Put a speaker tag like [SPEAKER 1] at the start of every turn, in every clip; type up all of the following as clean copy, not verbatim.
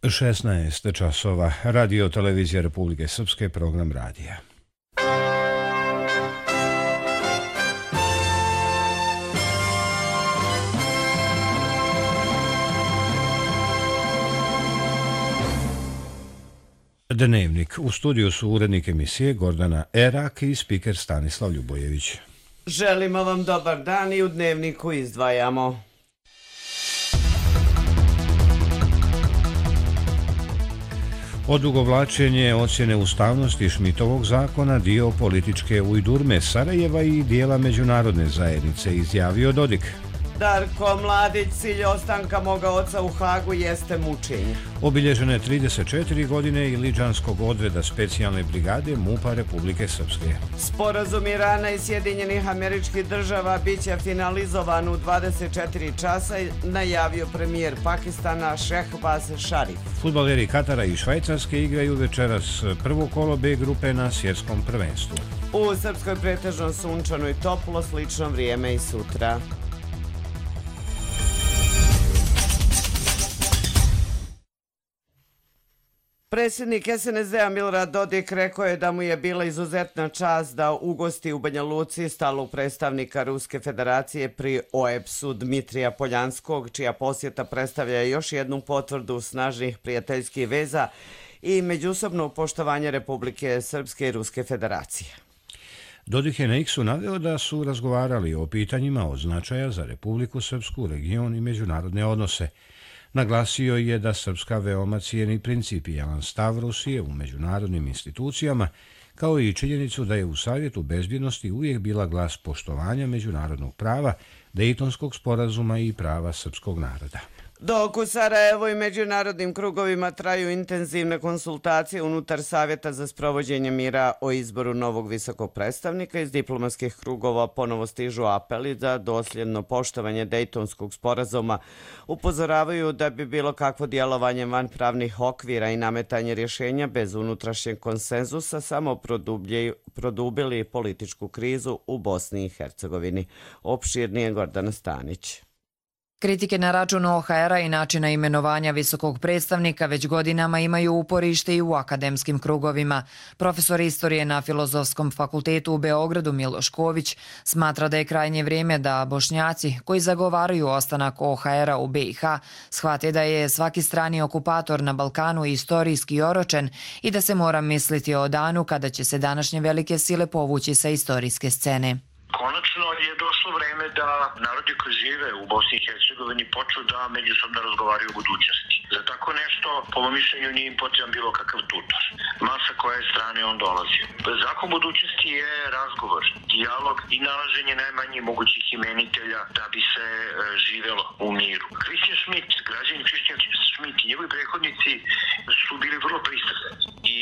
[SPEAKER 1] 16 časova. Radio televizija Republike Srpske, program radija. Dnevnik. U studiju su urednik emisije Gordana Erak i spiker Stanislav Ljubojević.
[SPEAKER 2] Želimo vam dobar dan i u Dnevniku izdvajamo.
[SPEAKER 1] Odugovlačenje ocjene ustavnosti Šmitovog zakona dio političke ujdurme Sarajeva i dijela međunarodne zajednice, izjavio Dodik.
[SPEAKER 2] Darko Mladić, cilj ostanka moga oca u Hagu jeste mučenje.
[SPEAKER 1] Obilježene 34 godine Iliđanskog odreda specijalne brigade MUP-a Republike Srpske.
[SPEAKER 2] Sporazum Irana i Sjedinjenih Američkih Država biće finalizovan u 24 časa, najavio premijer Pakistana Šehbaz Šarif.
[SPEAKER 1] Fudbaleri Katara i Švajcarske igraju večeras prvo kolo B grupe na svjetskom prvenstvu.
[SPEAKER 2] U Srpskoj pretežno sunčano i toplo, slično vrijeme i sutra. Predsjednik SNSD-a Milorad Dodik rekao je da mu je bila izuzetna čast da ugosti u Banja Luci stalnog predstavnika Ruske federacije pri OEBS-u Dmitrija Poljanskog, čija posjeta predstavlja još jednu potvrdu snažnih prijateljskih veza i međusobno poštovanje Republike Srpske i Ruske federacije.
[SPEAKER 1] Dodik je na X-u naveo da su razgovarali o pitanjima od značaja za Republiku Srpsku, region i međunarodne odnose. Naglasio je da Srpska veoma cijeni principijelan stav Rusije u međunarodnim institucijama, kao i činjenicu da je u Savjetu bezbjednosti uvijek bila glas poštovanja međunarodnog prava, Dejtonskog sporazuma i prava srpskog naroda.
[SPEAKER 2] Dok u Sarajevu i međunarodnim krugovima traju intenzivne konsultacije unutar Savjeta za sprovođenje mira o izboru novog visokog predstavnika, iz diplomatskih krugova ponovo stižu apeli za dosljedno poštovanje Dejtonskog sporazuma. Upozoravaju da bi bilo kakvo djelovanje van pravnih okvira i nametanje rješenja bez unutrašnjeg konsenzusa samo produbili političku krizu u Bosni i Hercegovini. Opširnije Gordana Stanić.
[SPEAKER 3] Kritike na račun OHR-a i načina imenovanja visokog predstavnika već godinama imaju uporište i u akademskim krugovima. Profesor istorije na Filozofskom fakultetu u Beogradu Miloš Ković smatra da je krajnje vrijeme da Bošnjaci koji zagovaraju ostanak OHR-a u BiH shvate da je svaki strani okupator na Balkanu istorijski oročen i da se mora misliti o danu kada će se današnje velike sile povući sa istorijske scene.
[SPEAKER 4] Konačno je došlo vreme da narodi koji žive u Bosni i Hercegovini počnu da međusobno razgovaraju o budućnosti. Za tako nešto, po mom mišljenju, nije im potreban bilo kakav tutor. Masa koje strane on dolazi. Zakon budućnosti je razgovor, dijalog i nalaženje najmanjih mogućih imenitelja da bi se živelo u miru. Christian Schmidt, građanin Christian Schmidt i njegovi prethodnici su bili vrlo pristrasni i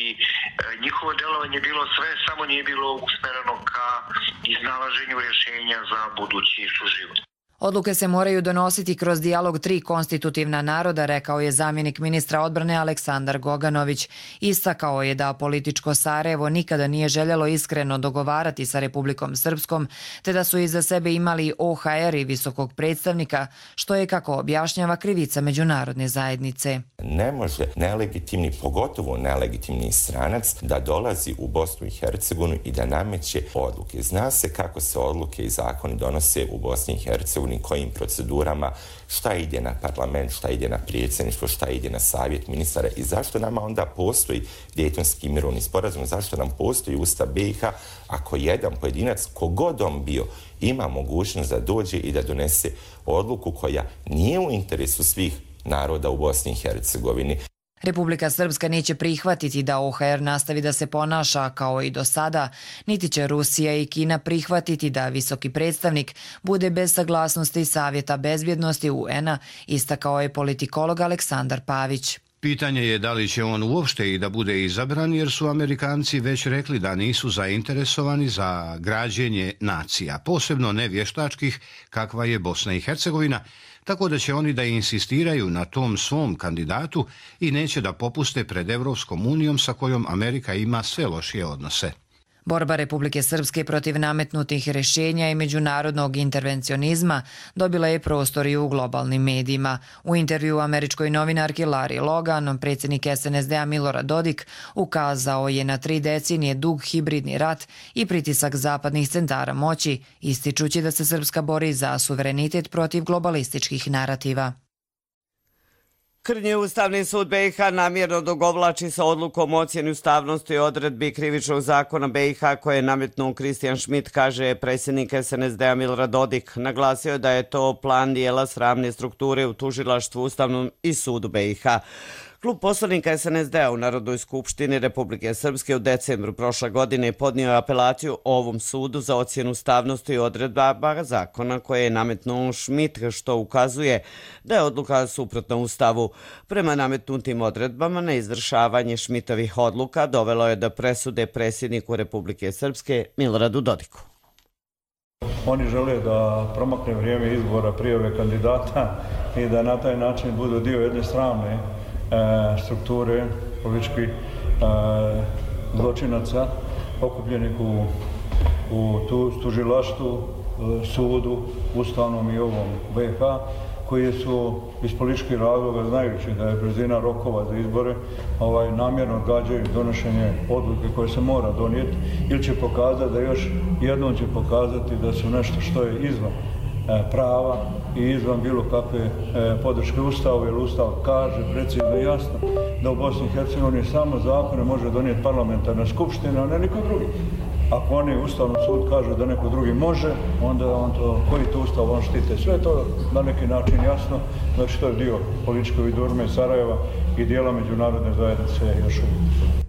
[SPEAKER 4] njihovo delovanje je bilo sve, samo nije bilo usmereno ka iznalaženju rješenja za budući suživot.
[SPEAKER 3] Odluke se moraju donositi kroz dijalog tri konstitutivna naroda, rekao je zamjenik ministra odbrane Aleksandar Goganović. Istakao je da političko Sarajevo nikada nije željelo iskreno dogovarati sa Republikom Srpskom, te da su iza sebe imali OHR i visokog predstavnika, što je, kako objašnjava, krivica međunarodne zajednice.
[SPEAKER 5] Ne može nelegitimni, pogotovo nelegitimni stranac, da dolazi u Bosnu i Hercegovinu i da nameće odluke. Zna se kako se odluke i zakoni donose u Bosni i Hercegovini, kojim procedurama, šta ide na parlament, šta ide na predsjedništvo, šta ide na savjet ministara i zašto nama onda postoji Dejtonski mirovni sporazum, zašto nam postoji Ustav BiH ako jedan pojedinac, kogod on bio, ima mogućnost da dođe i da donese odluku koja nije u interesu svih naroda u Bosni i Hercegovini.
[SPEAKER 3] Republika Srpska neće prihvatiti da OHR nastavi da se ponaša kao i do sada, niti će Rusija i Kina prihvatiti da visoki predstavnik bude bez saglasnosti Savjeta bezbjednosti UN-a, istakao je politikolog Aleksandar Pavić.
[SPEAKER 1] Pitanje je da li će on uopšte i da bude izabran, jer su Amerikanci već rekli da nisu zainteresovani za građenje nacija, posebno ne vještačkih kakva je Bosna i Hercegovina, tako da će oni da insistiraju na tom svom kandidatu i neće da popuste pred Evropskom unijom sa kojom Amerika ima sve lošije odnose.
[SPEAKER 3] Borba Republike Srpske protiv nametnutih rješenja i međunarodnog intervencionizma dobila je prostor i u globalnim medijima. U intervju američkoj novinarki Larry Logan, predsjednik SNSD-a Milorad Dodik ukazao je na 3 decenije dug hibridni rat i pritisak zapadnih centara moći, ističući da se Srpska bori za suverenitet protiv globalističkih narativa.
[SPEAKER 2] Krnji Ustavni sud BiH namjerno odugovlači sa odlukom o ocjeni ustavnosti odredbi krivičnog zakona BiH koje je nametnuo Kristijan Šmit, kaže predsjednik SNSD-a Milorad Dodik. Naglasio je da je to plan dijela sramne strukture u tužilaštvu Ustavnom i sudu BiH. Klub poslanika SNSD-a u Narodnoj skupštini Republike Srpske u decembru prošle godine podnio apelaciju ovom sudu za ocjenu ustavnosti odredaba zakona koje je nametnuo Šmit, što ukazuje da je odluka suprotna Ustavu. Prema nametnutim odredbama, neizvršavanje Šmitovih odluka dovelo je do presude predsjedniku Republike Srpske Miloradu Dodiku.
[SPEAKER 6] Oni žele da promakne vrijeme izbora prijave kandidata i da na taj način budu dio jedne sramne strukture političkih zločinaca okupljenih u tužilaštvu, sudu, ustavnom i ovom BiH, koji su iz političkih razloga, znajući da je brzina rokova za izbore, namjerno odgađaju donošenje odluke koje se mora donijeti, ili će pokazati da još jednom će pokazati da su nešto što je izvan prava i izvan bilo kakve podrške Ustavu, jer Ustav kaže precizno i jasno da u Bosni i Hercegovini samo zakone može donijeti parlamentarna skupština, a ne niko drugi. Ako oni Ustavnom sud kažu da neko drugi može, onda on to, koji to Ustav on štite. Sve to na neki način jasno, znači to je dio političke vidurme Sarajeva i dijela međunarodne zajednice još uvijek.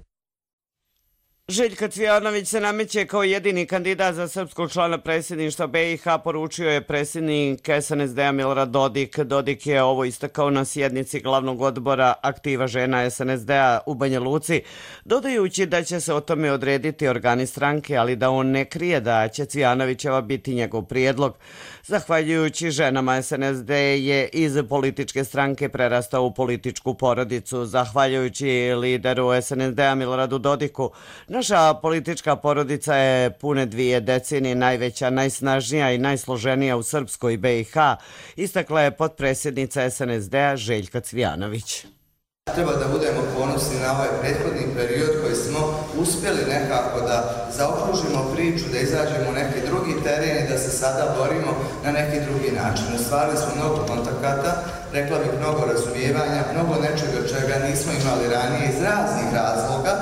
[SPEAKER 2] Željko Cvijanović se nameće kao jedini kandidat za srpskog člana predsjedništva BiH, poručio je predsjednik SNSD-a Milorad Dodik. Dodik je ovo istakao na sjednici glavnog odbora Aktiva žena SNSD-a u Banja Luci, dodajući da će se o tome odrediti organi stranke, ali da on ne krije da će Cvijanovićeva biti njegov prijedlog. Zahvaljujući ženama, SNSD je iz političke stranke prerastao u političku porodicu. Zahvaljujući lideru SNSD-a Miloradu Dodiku, naša politička porodica je pune 2 decenije najveća, najsnažnija i najsloženija u Srpskoj BiH, istakla je potpredsjednica SNSD-a Željka Cvijanović.
[SPEAKER 7] Treba da budemo ponosni na ovaj prethodni period koji smo uspjeli nekako da zaokružimo priču, da izađemo u neki drugi teren i da se sada borimo na neki drugi način. Ostvarili smo mnogo kontakata, rekla bih mnogo razumijevanja, mnogo nečega čega nismo imali ranije iz raznih razloga,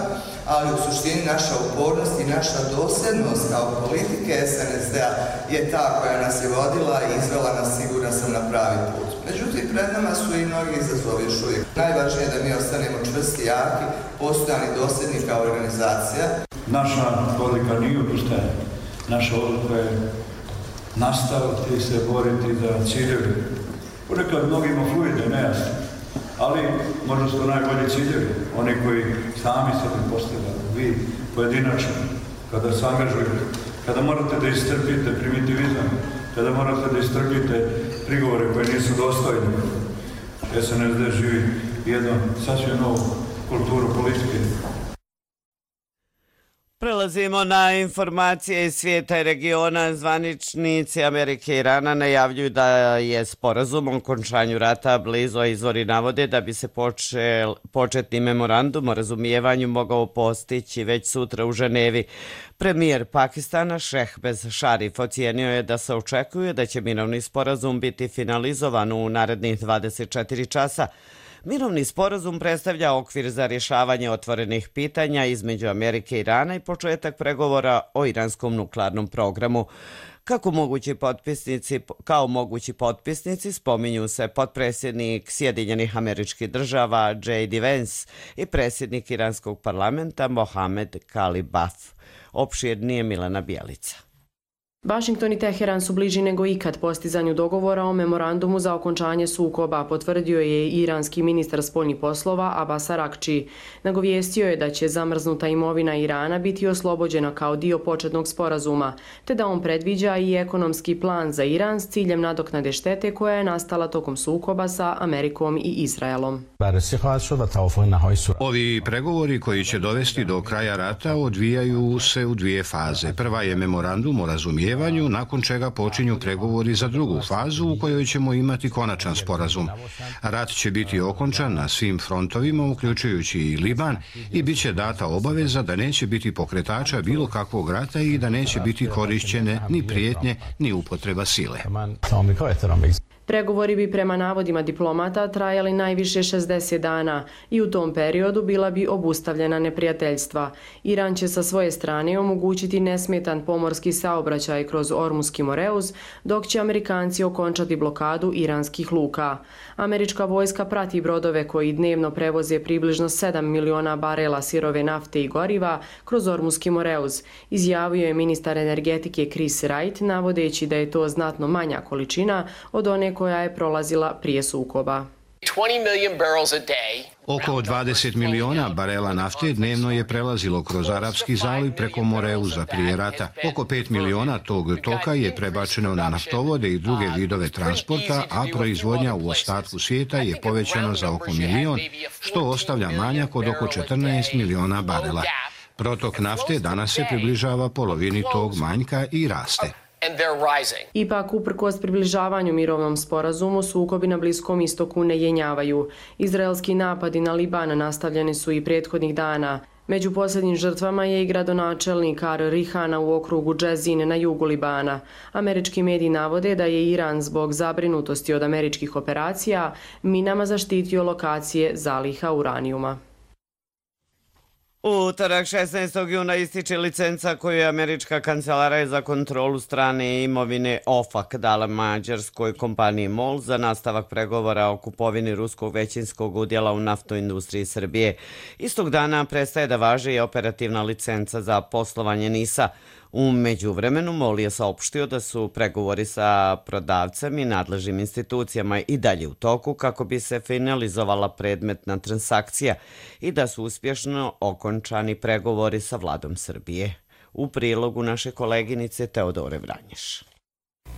[SPEAKER 7] ali u suštini naša upornost i naša dosljednost kao politike SNSD-a je ta koja nas je vodila i izvela nas, siguran sam, na pravi put. Međutim, pred nama su i mnogi izazovi još uvijek. Najvažnije je da mi ostanemo čvrsti, jaki, postojani, dosljedni kao organizacija.
[SPEAKER 6] Naša odluka nije odustajanje. Naša odluka je nastaviti se boriti za ciljevi. Ponekad mnogima fluide, nejasno. Ali možda su to najbolji ciljevi, oni koji sami sebi postavljaju, vi pojedinačno, kada se angažujete, kada morate da istrpite primitivizam, kada morate da istrpite prigovore koje nisu dostojni. SNSD živi jednu sasvim novu kulturu politike.
[SPEAKER 2] Prelazimo na informacije iz svijeta i regiona. Zvaničnici Amerike i Irana najavljuju da je sporazum o okončanju rata blizu, a izvori navode da bi se početni memorandum o razumijevanju mogao postići već sutra u Ženevi. Premijer Pakistana Šehbaz Šarif ocijenio je da se očekuje da će mirovni sporazum biti finalizovan u narednih 24 časa. Mirovni sporazum predstavlja okvir za rješavanje otvorenih pitanja između Amerike i Irana i početak pregovora o iranskom nuklearnom programu. Kao mogući potpisnici spominju se potpredsjednik Sjedinjenih Američkih Država J.D. Vance i predsjednik iranskog parlamenta Mohamed Kalibaf. Opširnije Milena Bjelica.
[SPEAKER 8] Washington i Teheran su bliži nego ikad postizanju dogovora o memorandumu za okončanje sukoba, potvrdio je iranski ministar spoljnih poslova Abbas Araghči. Nagovijestio je da će zamrznuta imovina Irana biti oslobođena kao dio početnog sporazuma, te da on predviđa i ekonomski plan za Iran s ciljem nadoknade štete koja je nastala tokom sukoba sa Amerikom i Izraelom.
[SPEAKER 1] Ovi pregovori koji će dovesti do kraja rata odvijaju se u dvije faze. Prva je memorandum o razumijevanju, nakon čega počinju pregovori za drugu fazu u kojoj ćemo imati konačan sporazum. Rat će biti okončan na svim frontovima, uključujući i Liban, i bit će data obaveza da neće biti pokretača bilo kakvog rata i da neće biti korišćene ni prijetnje ni upotreba sile.
[SPEAKER 8] Pregovori bi prema navodima diplomata trajali najviše 60 dana i u tom periodu bila bi obustavljena neprijateljstva. Iran će sa svoje strane omogućiti nesmetan pomorski saobraćaj kroz Ormuski Moreuz, dok će Amerikanci okončati blokadu iranskih luka. Američka vojska prati brodove koji dnevno prevoze približno 7 miliona barela sirove nafte i goriva kroz Ormuski Moreuz, izjavio je ministar energetike Chris Wright, navodeći da je to znatno manja količina od one koja je prolazila prije sukoba.
[SPEAKER 1] Oko 20 miliona barela nafte dnevno je prelazilo kroz Arapski zaliv preko Moreuza prije rata. Oko 5 miliona tog toka je prebačeno na naftovode i druge vidove transporta, a proizvodnja u ostatku svijeta je povećana za oko milion, što ostavlja manjak od oko 14 miliona barela. Protok nafte danas se približava polovini tog manjka i raste.
[SPEAKER 8] Ipak, uprkos približavanju mirovnom sporazumu, sukobi na Bliskom istoku ne jenjavaju. Izraelski napadi na Liban nastavljeni su i prethodnih dana. Među posljednjim žrtvama je i gradonačelnik Ar-Rihana u okrugu Džezin na jugu Libana. Američki mediji navode da je Iran zbog zabrinutosti od američkih operacija minama zaštitio lokacije zaliha uranijuma.
[SPEAKER 2] U utorak 16. juna ističe licenca koju je američka kancelarija za kontrolu strane imovine OFAC dala mađarskoj kompaniji MOL za nastavak pregovora o kupovini ruskog većinskog udjela u naftnoj industriji Srbije. Istog dana prestaje da važi i operativna licenca za poslovanje NIS-a. U međuvremenu MOL je saopštio da su pregovori sa prodavcem i nadležnim institucijama i dalje u toku kako bi se finalizovala predmetna transakcija i da su uspješno okončani pregovori sa vladom Srbije. U prilogu naše koleginice Teodore Vranješ.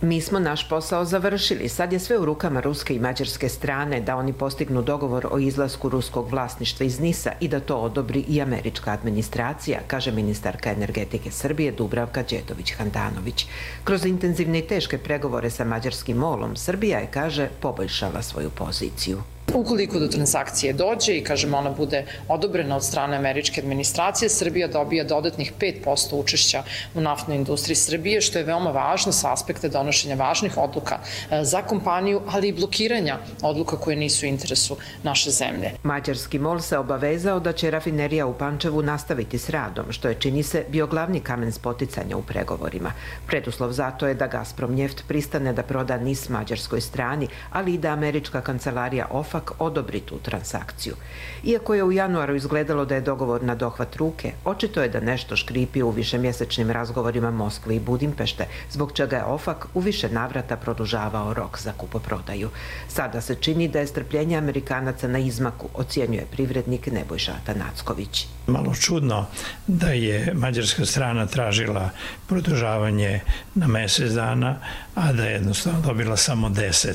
[SPEAKER 9] Mi smo naš posao završili. Sad je sve u rukama ruske i mađarske strane da oni postignu dogovor o izlasku ruskog vlasništva iz NIS-a i da to odobri i američka administracija, kaže ministarka energetike Srbije Dubravka Đedović-Handanović. Kroz intenzivne i teške pregovore sa mađarskim MOL-om, Srbija je, kaže, poboljšala svoju poziciju.
[SPEAKER 10] Ukoliko do transakcije dođe i, kažemo, ona bude odobrena od strane američke administracije, Srbija dobija dodatnih 5% učešća u naftnoj industriji Srbije, što je veoma važno sa aspekta donošenja važnih odluka za kompaniju, ali i blokiranja odluka koje nisu u interesu naše zemlje.
[SPEAKER 9] Mađarski MOL se obavezao da će rafinerija u Pančevu nastaviti s radom, što je, čini se, bio glavni kamen spoticanja u pregovorima. Preduslov za to je da Gazprom Njeft pristane da proda NIS mađarskoj strani, ali i da američka kancelarija OFAC odobri tu transakciju. Iako je u januaru izgledalo da je dogovor na dohvat ruke, očito je da nešto škripi u višemjesečnim razgovorima Moskve i Budimpešte, zbog čega je OFAC u više navrata produžavao rok za kupoprodaju. Sada se čini da je strpljenje Amerikanaca na izmaku, ocjenjuje privrednik Nebojša Atanacković.
[SPEAKER 11] Malo čudno da je mađarska strana tražila produžavanje na mjesec dana, a da je jednostavno dobila samo 10.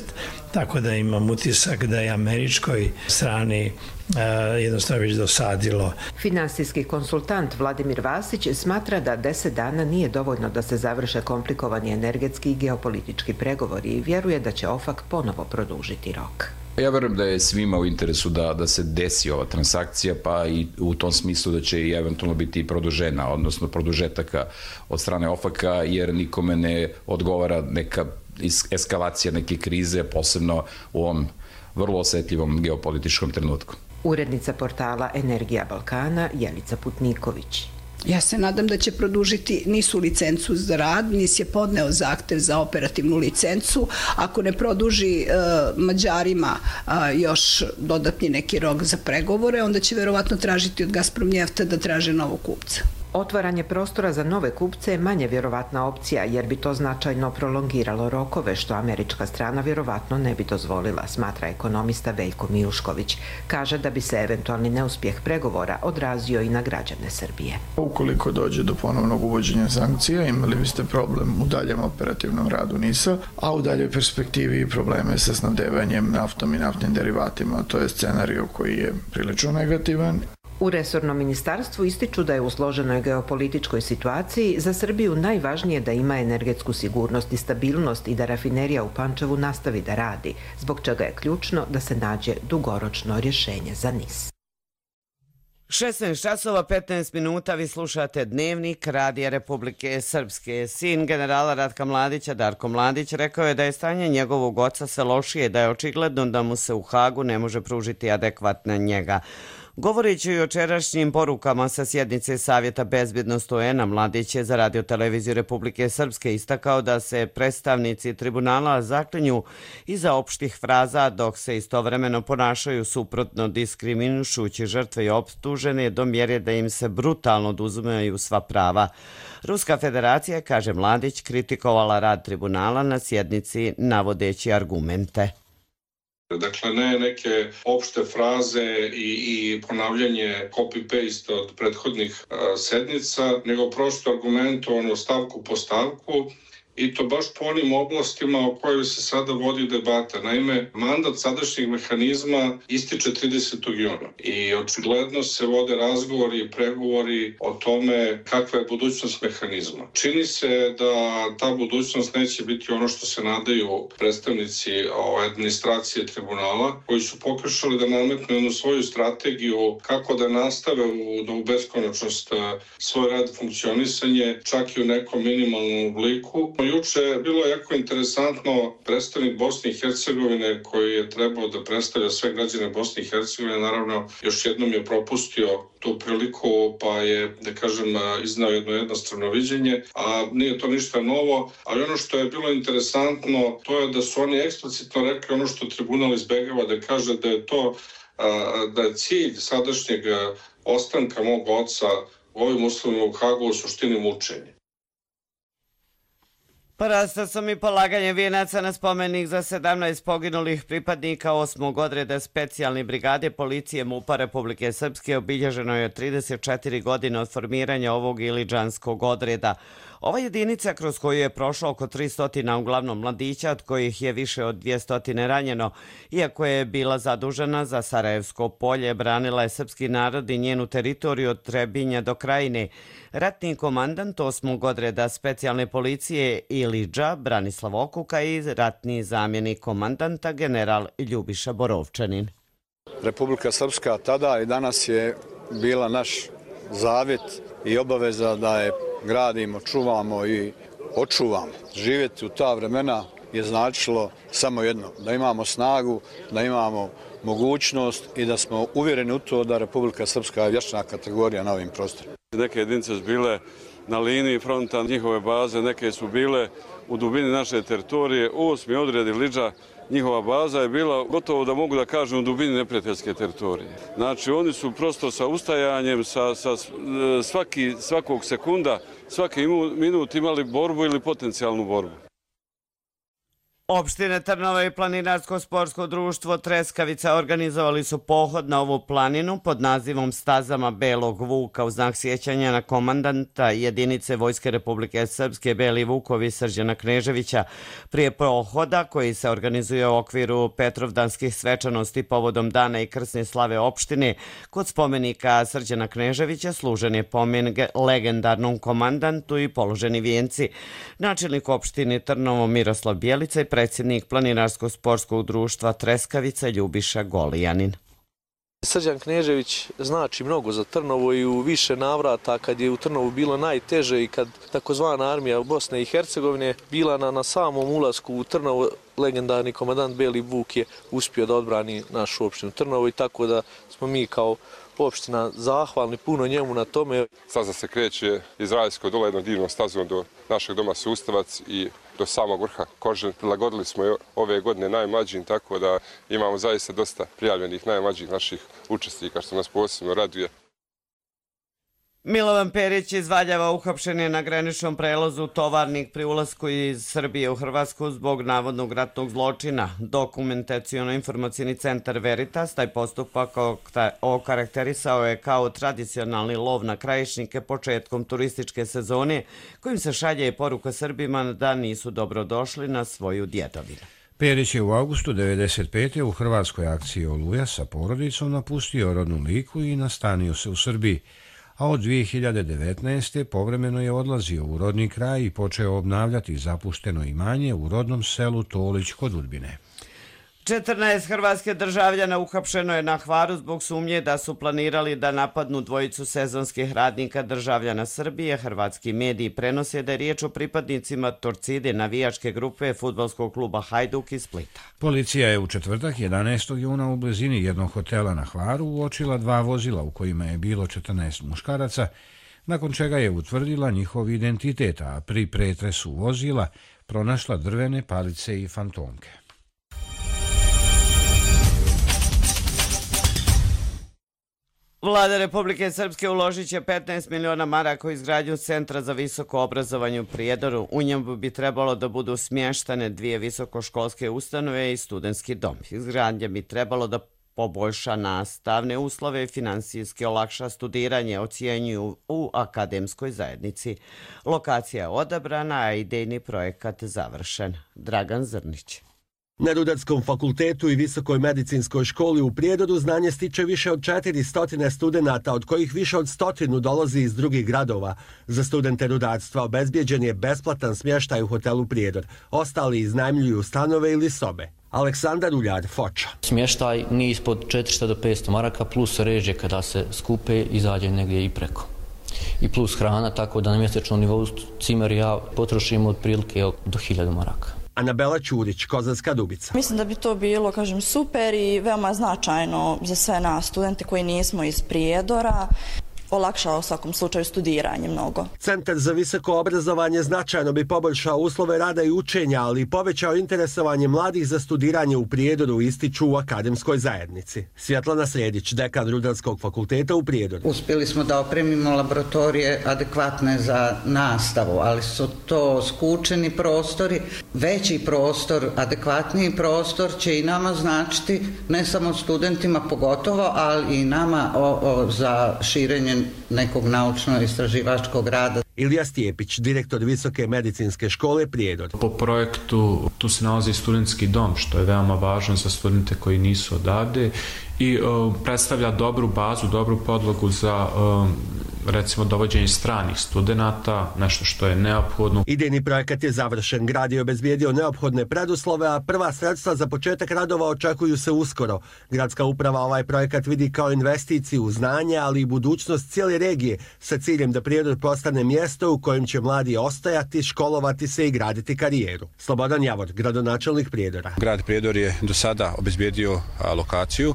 [SPEAKER 11] Tako da imam utisak da je američkoj strani jednostavno već dosadilo.
[SPEAKER 9] Finansijski konsultant Vladimir Vasić smatra da 10 dana nije dovoljno da se završe komplikovani energetski i geopolitički pregovori i vjeruje da će OFAC ponovo produžiti rok.
[SPEAKER 12] Ja verujem da je svima u interesu da se desi ova transakcija, pa i u tom smislu da će i eventualno biti produžena, odnosno produžetaka od strane OFAC-a, jer nikome ne odgovara neka eskalacija neke krize, posebno u ovom vrlo osjetljivom geopolitičkom trenutku.
[SPEAKER 9] Urednica portala Energija Balkana Jelica Putniković.
[SPEAKER 13] Ja se nadam da će produžiti NIS-u licencu za rad. NIS je podneo zahtev za operativnu licencu. Ako ne produži Mađarima još dodatni neki rok za pregovore, onda će verovatno tražiti od Gazprom Njefta da traže novog kupca.
[SPEAKER 9] Otvaranje prostora za nove kupce je manje vjerovatna opcija jer bi to značajno prolongiralo rokove što američka strana vjerovatno ne bi dozvolila, smatra ekonomista Veljko Mijušković. Kaže da bi se eventualni neuspjeh pregovora odrazio i na građane Srbije.
[SPEAKER 14] Ukoliko dođe do ponovnog uvođenja sankcija, imali biste problem u daljem operativnom radu NIS-a, a u daljoj perspektivi probleme sa snabdevanjem naftom i naftnim derivatima. To je scenario koji je prilično negativan.
[SPEAKER 9] U resornom ministarstvu ističu da je u složenoj geopolitičkoj situaciji za Srbiju najvažnije da ima energetsku sigurnost i stabilnost i da rafinerija u Pančevu nastavi da radi, zbog čega je ključno da se nađe dugoročno rješenje za NIS.
[SPEAKER 2] 16 časova 15 minuta, vi slušate Dnevnik Radija Republike Srpske. Sin generala Ratka Mladića, Darko Mladić, rekao je da je stanje njegovog oca sve lošije, da je očigledno da mu se u Hagu ne može pružiti adekvatna njega. Govoreći o jučerašnjim porukama sa sjednice Savjeta bezbjednosti UN-a, Mladić je za Radio televiziju Republike Srpske istakao da se predstavnici tribunala zaklinju iza opštih fraza dok se istovremeno ponašaju suprotno, diskriminušući žrtve i optužene do mjere da im se brutalno oduzimaju sva prava. Ruska federacija, kaže Mladić, kritikovala rad tribunala na sjednici navodeći argumente.
[SPEAKER 15] Dakle, ne neke opšte fraze i ponavljanje copy-paste od prethodnih sednica, nego prosto argumentovano stavku po stavku i to baš po onim oblastima o kojoj se sada vodi debata. Naime, mandat sadašnjeg mehanizma ističe 30. juna i očigledno se vode razgovori i pregovori o tome kakva je budućnost mehanizma. Čini se da ta budućnost neće biti ono što se nadaju predstavnici administracije tribunala, koji su pokušali da nametnu jednu svoju strategiju kako da nastave u beskonačnost svoj rad funkcionisanje, čak i u nekom minimalnom obliku. Juče je bilo jako interesantno, predstavnik Bosne i Hercegovine koji je trebao da predstavlja sve građane Bosne i Hercegovine, naravno još jednom je propustio tu priliku pa je, da kažem, iznao jedno jednostrano viđenje, a nije to ništa novo, ali ono što je bilo interesantno to je da su oni eksplicitno rekli ono što tribunal izbegava, da kaže da je to da je cilj sadašnjeg ostanka mog oca u ovim uslovima u Hagu u suštini mučenje.
[SPEAKER 2] Porastao sam i polaganje vijenaca na spomenik za 17 poginulih pripadnika 8. odreda specijalne brigade policije MUP-a Republike Srpske. Obilježeno je 34 godine od formiranja ovog ilidžanskog odreda. Ova jedinica kroz koju je prošlo oko 300 uglavnom mladića, od kojih je više od 200 ranjeno, iako je bila zadužena za Sarajevsko polje, branila je srpski narod i njenu teritoriju od Trebinja do Krajine. Ratni komandant 8. odreda specijalne policije Ilidža Branislav Okuka i ratni zamjenik komandanta general Ljubiša Borovčanin.
[SPEAKER 16] Republika Srpska tada i danas je bila naš zavjet i obaveza da je gradimo, čuvamo i očuvamo. Živjeti u ta vremena je značilo samo jedno, da imamo snagu, da imamo mogućnost i da smo uvjereni u to da Republika Srpska je vječna kategorija na ovim prostorima.
[SPEAKER 17] Neke jedinice su bile na liniji fronta njihove baze, neke su bile u dubini naše teritorije. 8. odred Ilidža, njihova baza je bila gotovo da mogu da kažem u dubini neprijateljske teritorije. Znači oni su prosto sa ustajanjem, svakog sekunda, svaki minut imali borbu ili potencijalnu borbu.
[SPEAKER 2] Opštine Trnovo i Planinarsko-sportsko društvo Treskavica organizovali su pohod na ovu planinu pod nazivom Stazama Belog Vuka u znak sjećanja na komandanta jedinice Vojske Republike Srpske Beli Vukovi Srđana Kneževića. Prije pohoda koji se organizuje u okviru Petrovdanskih svečanosti povodom dana i krsne slave opštine, kod spomenika Srđana Kneževića služen je pomen legendarnom komandantu i položeni vijenci. Načelnik opštine Trnovo Miroslav Bjelica i predsjednik Planinarsko-sportskog društva Treskavica Ljubiša Golijanin.
[SPEAKER 18] Srđan Knežević znači mnogo za Trnovo i u više navrata kad je u Trnovu bilo najteže i kad takozvana armija Bosne i Hercegovine bila na samom ulasku u Trnovo, legendarni komandant Beli Vuk je uspio da odbrani našu opštinu Trnovo i tako da smo mi kao opština zahvalni puno njemu na tome.
[SPEAKER 19] Staza se kreće iz Raljskog dola jednom divnom stazom do našeg doma Sustavac i do samog vrha Kožen. Prilagodili smo je ove godine najmlađim, tako da imamo zaista dosta prijavljenih najmlađih naših učesnika, što nas posebno raduje.
[SPEAKER 2] Milovan Perić iz Valjeva uhapšen je na graničnom prelazu Tovarnik pri ulasku iz Srbije u Hrvatsku zbog navodnog ratnog zločina. Dokumentaciono-informacijni centar Veritas taj postupak okarakterisao je kao tradicionalni lov na krajišnike početkom turističke sezone, kojim se šalje i poruka Srbima da nisu dobrodošli na svoju djedovinu.
[SPEAKER 1] Perić je u avgustu 1995. u hrvatskoj akciji Oluja sa porodicom napustio rodnu Liku i nastanio se u Srbiji, a od 2019. povremeno je odlazio u rodni kraj i počeo obnavljati zapušteno imanje u rodnom selu Tolić kod Udbine.
[SPEAKER 2] 14 hrvatske državljana uhapšeno je na Hvaru zbog sumnje da su planirali da napadnu dvojicu sezonskih radnika državljana Srbije. Hrvatski mediji prenose da je riječ o pripadnicima Torcide, navijačke grupe fudbalskog kluba Hajduk iz Splita.
[SPEAKER 1] Policija je u četvrtak 11. juna u blizini jednog hotela na Hvaru uočila 2 vozila u kojima je bilo 14 muškaraca, nakon čega je utvrdila njihov identitet, a pri pretresu vozila pronašla drvene palice i fantomke.
[SPEAKER 2] Vlada Republike Srpske uložit će 15 miliona maraka u izgradnju Centra za visoko obrazovanje u Prijedoru. U njemu bi trebalo da budu smještane 2 visokoškolske ustanove i studentski dom. Izgradnja bi trebalo da poboljša nastavne uslove i finansijski olakša studiranje, ocjenjuju u akademskoj zajednici. Lokacija je odabrana, a idejni projekat završen. Dragan Zrnić.
[SPEAKER 20] Na Rudarskom fakultetu i Visokoj medicinskoj školi u Prijedoru znanje stiče više od 400 studenata, od kojih više od 100 dolazi iz drugih gradova. Za studente rudarstva obezbijeđen je besplatan smještaj u hotelu Prijedor. Ostali iznajmljuju stanove ili sobe. Aleksandar Uljar, Foča.
[SPEAKER 21] Smještaj nije ispod 400 do 500 maraka, plus režije kada se skupe izađe negdje i preko. I plus hrana, tako da na mjesečnom nivou cimer ja potrošimo otprilike do 1000 maraka.
[SPEAKER 20] Anabela Ćurić, Kozarska Dubica.
[SPEAKER 22] Mislim da bi to bilo, super i veoma značajno za sve nas studente koji nismo iz Prijedora. Olakšao u svakom slučaju studiranje mnogo.
[SPEAKER 20] Centar za visoko obrazovanje značajno bi poboljšao uslove rada i učenja, ali i povećao interesovanje mladih za studiranje u Prijedoru, ističu u akademskoj zajednici. Svjetlana Sredić, dekan Rudarskog fakulteta u Prijedoru.
[SPEAKER 23] Uspjeli smo da opremimo laboratorije adekvatne za nastavu, ali su to skučeni prostori. Veći prostor, adekvatniji prostor će i nama značiti, ne samo studentima pogotovo, ali i nama za širenje nekog naučno-istraživačkog rada.
[SPEAKER 20] Ilija Stijepić, direktor Visoke medicinske škole Prijedor.
[SPEAKER 24] Po projektu tu se nalazi studentski dom, što je veoma važno za studente koji nisu odavde i predstavlja dobru bazu, dobru podlogu za recimo dovođenje stranih studenata, nešto što je neophodno.
[SPEAKER 20] Idejni projekat je završen, grad je obezbijedio neophodne preduslove, a prva sredstva za početak radova očekuju se uskoro. Gradska uprava ovaj projekat vidi kao investiciju u znanje, ali i budućnost cijele regije, sa ciljem da Prijedor postane mjesto u kojem će mladi ostajati, školovati se i graditi karijeru. Slobodan Javor, gradonačelnik Prijedora.
[SPEAKER 25] Grad Prijedor je do sada obezbijedio lokaciju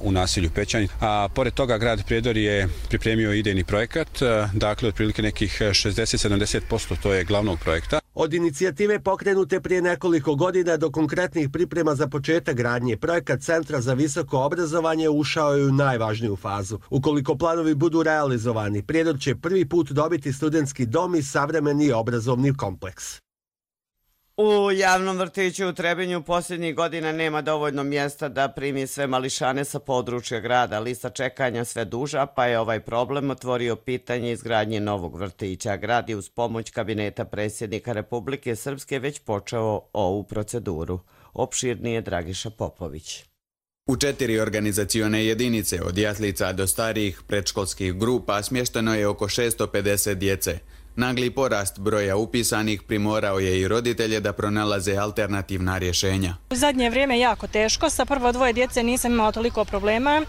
[SPEAKER 25] u naselju Pećani, a pored toga grad Prijedor je pripremio idejni projekat, dakle otprilike nekih 60-70% to je glavnog projekta.
[SPEAKER 20] Od inicijative pokrenute prije nekoliko godina do konkretnih priprema za početak gradnje, projekat Centra za visoko obrazovanje ušao je u najvažniju fazu. Ukoliko planovi budu realizovani, Prijedor će prvi put dobiti studentski dom i savremeni obrazovni kompleks.
[SPEAKER 2] U javnom vrtiću u Trebinju posljednjih godina nema dovoljno mjesta da primi sve mališane sa područja grada. Lista čekanja sve duža, pa je ovaj problem otvorio pitanje izgradnje novog vrtića. Grad je uz pomoć kabineta predsjednika Republike Srpske već počeo ovu proceduru. Opširnije Dragiša Popović.
[SPEAKER 26] U 4 organizacione jedinice, od jaslica do starijih predškolskih grupa, smješteno je oko 650 djece. Nagli porast broja upisanih primorao je i roditelje da pronalaze alternativna rješenja.
[SPEAKER 27] U zadnje vrijeme je jako teško, sa prvo 2 djece nisam imala toliko problema,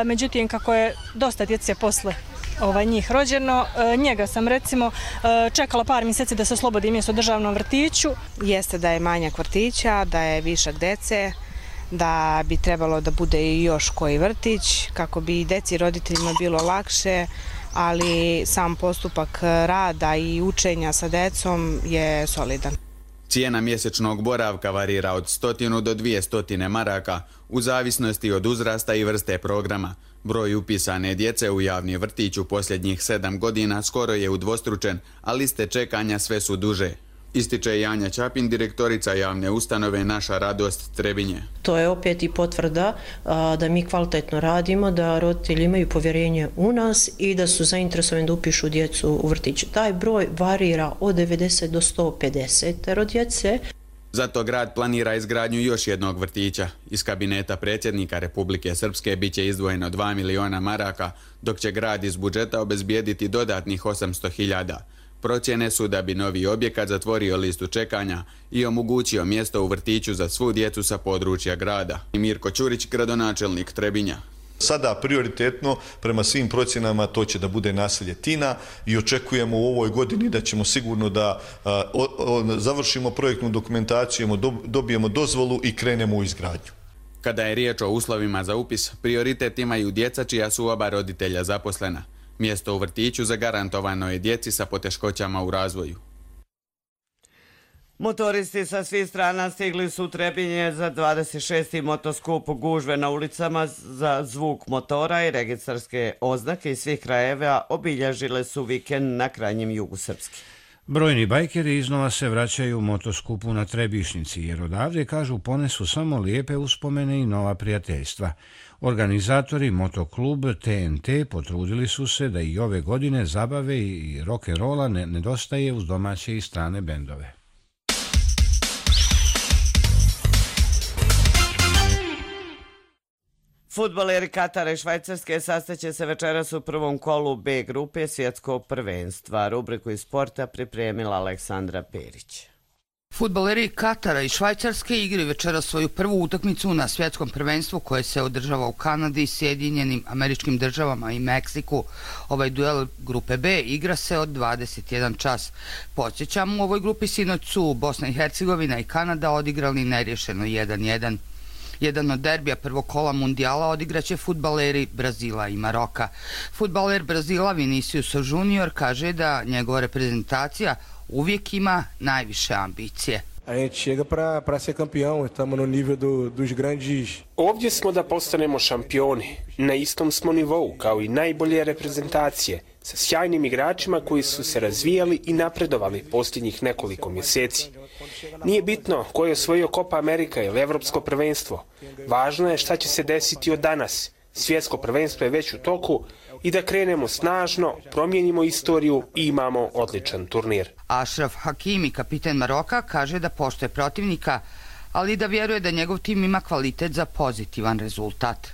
[SPEAKER 27] međutim kako je dosta djece posle njih rođeno, njega sam recimo čekala par mjeseci da se oslobodi mjesto u državnom vrtiću.
[SPEAKER 28] Jeste da je manjak vrtića, da je višak djece, da bi trebalo da bude i još koji vrtić kako bi djeci i roditeljima bilo lakše, ali sam postupak rada i učenja sa djecom je solidan.
[SPEAKER 26] Cijena mjesečnog boravka varira od 100 do 200 maraka u zavisnosti od uzrasta i vrste programa. Broj upisane djece u javni vrtić u posljednjih 7 godina skoro je udvostručen, a liste čekanja sve su duže. Ističe Janja Ćapin, direktorica javne ustanove Naša radost Trebinje.
[SPEAKER 3] To je opet i potvrda da mi kvalitetno radimo, da roditelji imaju povjerenje u nas i da su zainteresovani da upišu djecu u vrtić. Taj broj varira od 90 do 150 djece.
[SPEAKER 26] Zato grad planira izgradnju još jednog vrtića. Iz kabineta predsjednika Republike Srpske bit će izdvojeno 2 miliona maraka, dok će grad iz budžeta obezbijediti dodatnih 800.000. Procjene su da bi novi objekat zatvorio listu čekanja i omogućio mjesto u vrtiću za svu djecu sa područja grada. Mirko Ćurić, gradonačelnik Trebinja.
[SPEAKER 4] Sada prioritetno prema svim procjenama to će da bude naselje Tina i očekujemo u ovoj godini da ćemo sigurno da završimo projektnu dokumentaciju, dobijemo dozvolu i krenemo u izgradnju.
[SPEAKER 26] Kada je riječ o uslovima za upis, prioritet imaju djeca čija su oba roditelja zaposlena. Mjesto u vrtiću zagarantovano je djeci sa poteškoćama u razvoju.
[SPEAKER 2] Motoristi sa svih strana stigli su u Trebinje za 26. motoskup. Gužve na ulicama za zvuk motora i registarske oznake iz svih krajeva obilježile su vikend na krajnjem jugu Srpske.
[SPEAKER 1] Brojni bajkeri iznova se vraćaju u motoskupu na Trebišnici, jer odavde, kažu, ponesu samo lijepe uspomene i nova prijateljstva. Organizatori motoklub TNT potrudili su se da i ove godine zabave i rock'n'rolla nedostaje uz domaće i strane bendove.
[SPEAKER 2] Fudbaleri Katara i Švajcarske sastaće se večeras u prvom kolu B grupe svjetskog prvenstva. Rubriku iz sporta pripremila Aleksandra Perić.
[SPEAKER 5] Fudbaleri Katara i Švajcarske igraju večeras svoju prvu utakmicu na svjetskom prvenstvu koje se održava u Kanadi, Sjedinjenim Američkim Državama i Meksiku. Ovaj duel grupe B igra se od 21 čas. Podsjećam, u ovoj grupi sinoć su Bosna i Hercegovina i Kanada odigrali nerješeno 1-1. Jedan od derbija prvog kola mundijala odigraće fudbaleri Brazila i Maroka. Fudbaler Brazila Vinicius Junior kaže da njegova reprezentacija uvijek ima najviše ambicije.
[SPEAKER 6] A gente chega para ser campeão, estamos no nível dos grandes.
[SPEAKER 7] Ovdje smo da postanemo šampioni. Na istom smo nivou kao i najbolje reprezentacije, sa sjajnim igračima koji su se razvijali i napredovali posljednjih nekoliko mjeseci. Nije bitno ko je osvojio Copa Amerika ili Evropsko prvenstvo. Važno je šta će se desiti od danas. Svjetsko prvenstvo je već u toku i da krenemo snažno, promijenimo istoriju i imamo odličan turnir.
[SPEAKER 5] Ashraf Hakimi, kapiten Maroka, kaže da poštuje protivnika, ali da vjeruje da njegov tim ima kvalitet za pozitivan rezultat.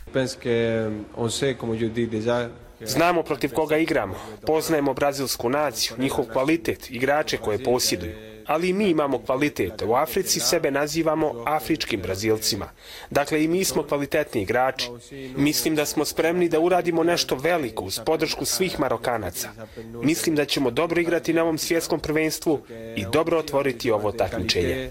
[SPEAKER 7] Znamo protiv koga igramo, poznajemo brazilsku naciju, njihov kvalitet, igrače koje posjeduju. Ali i mi imamo kvalitet. U Africi sebe nazivamo afričkim Brazilcima. Dakle, i mi smo kvalitetni igrači. Mislim da smo spremni da uradimo nešto veliko uz podršku svih Marokanaca. Mislim da ćemo dobro igrati na ovom svjetskom prvenstvu i dobro otvoriti ovo takmičenje.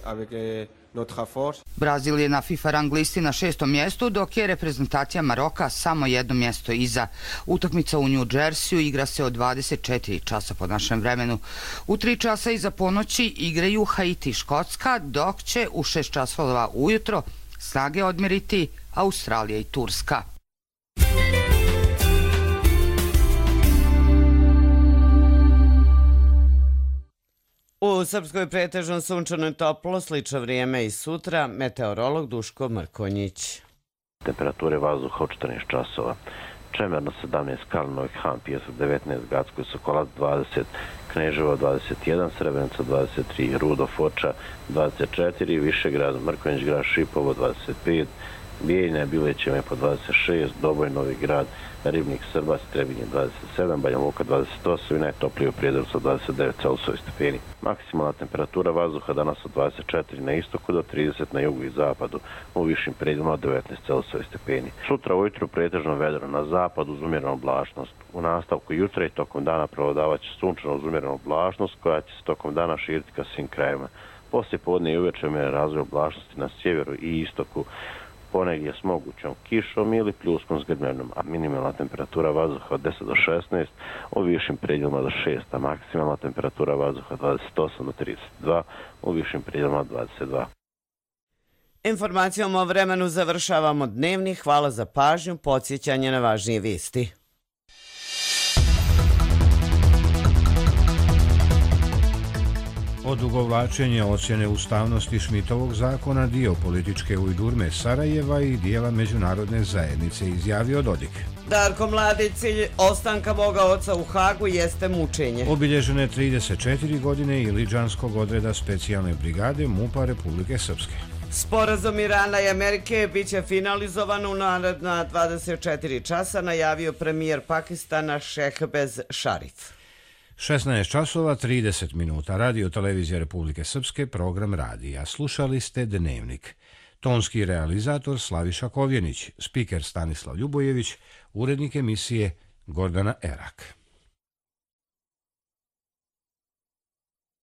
[SPEAKER 5] Brazil je na FIFA rang listi na 6. mjestu, dok je reprezentacija Maroka samo jedno mjesto iza. Utakmica u New Jerseyu igra se od 24 časa po našem vremenu. U 3 časa iza ponoći igraju Haiti i Škotska, dok će u 6 časova ujutro snage odmjeriti Australija i Turska.
[SPEAKER 2] U Srpskoj pretežno sunčano i toplo, slično vrijeme i sutra, meteorolog Duško Mrkonjić.
[SPEAKER 8] Temperature vazduha od 14 časova. Čemerno 17, Kalinović, Han, Pijesak 19, Gacko i Sokolac 20, Kneževo 21, Srebrenica 23, Rudo, Foča 24, Višegrad, Mrkonjić, grad Šipovo 25, Bijeljina, Bilećeve po 26, Doboj, Novi grad, Ribnik, Srbac, Trebinje 27, Banja Luka 28 i najtoplije u Prijedoru sa 29 Celsius stepeni. Maksimalna temperatura vazduha danas od 24 na istoku do 30 na jugu i zapadu, u višim predjelima od 19 Celsius stepeni. Sutra ujutru pretežno vedro na zapadu uz umjerenu oblačnost. U nastavku jutra i tokom dana prevladavat će sunčano uz umjerenu oblačnost koja će se tokom dana širiti ka svim krajevima. Poslije podne i uveče umjeren razvoj oblačnosti na sjeveru i istoku. ponegdje s mogućom kišom ili pljuskom s grmljavinom, a minimalna temperatura vazduha od 10 do 16, u višim predjelima do 6, a maksimalna temperatura vazduha 28 do 32, u višim predjelima 22.
[SPEAKER 2] Informacijom o vremenu završavamo dnevni. Hvala za pažnju, podsjećanje na važnije vijesti.
[SPEAKER 1] Odugovlačenje ocjene ustavnosti Šmitovog zakona dio političke ujdurme Sarajeva i dijela međunarodne zajednice, izjavio Dodik.
[SPEAKER 2] Darko Mladić, cilj ostanka moga oca u Hagu jeste mučenje.
[SPEAKER 1] Obilježene 34 godine Iliđanskog odreda specijalne brigade MUP-a Republike Srpske.
[SPEAKER 2] Sporazum Irana i Amerike biće finalizovan u naredna 24 časa, najavio premijer Pakistana Šehbaz Šarif.
[SPEAKER 1] 16 časova 30 minuta. Radio Televizija Republike Srpske, program radija. Slušali ste Dnevnik. Tonski realizator Slaviša Kovjenić, spiker Stanislav Ljubojević, urednik emisije Gordana Erak.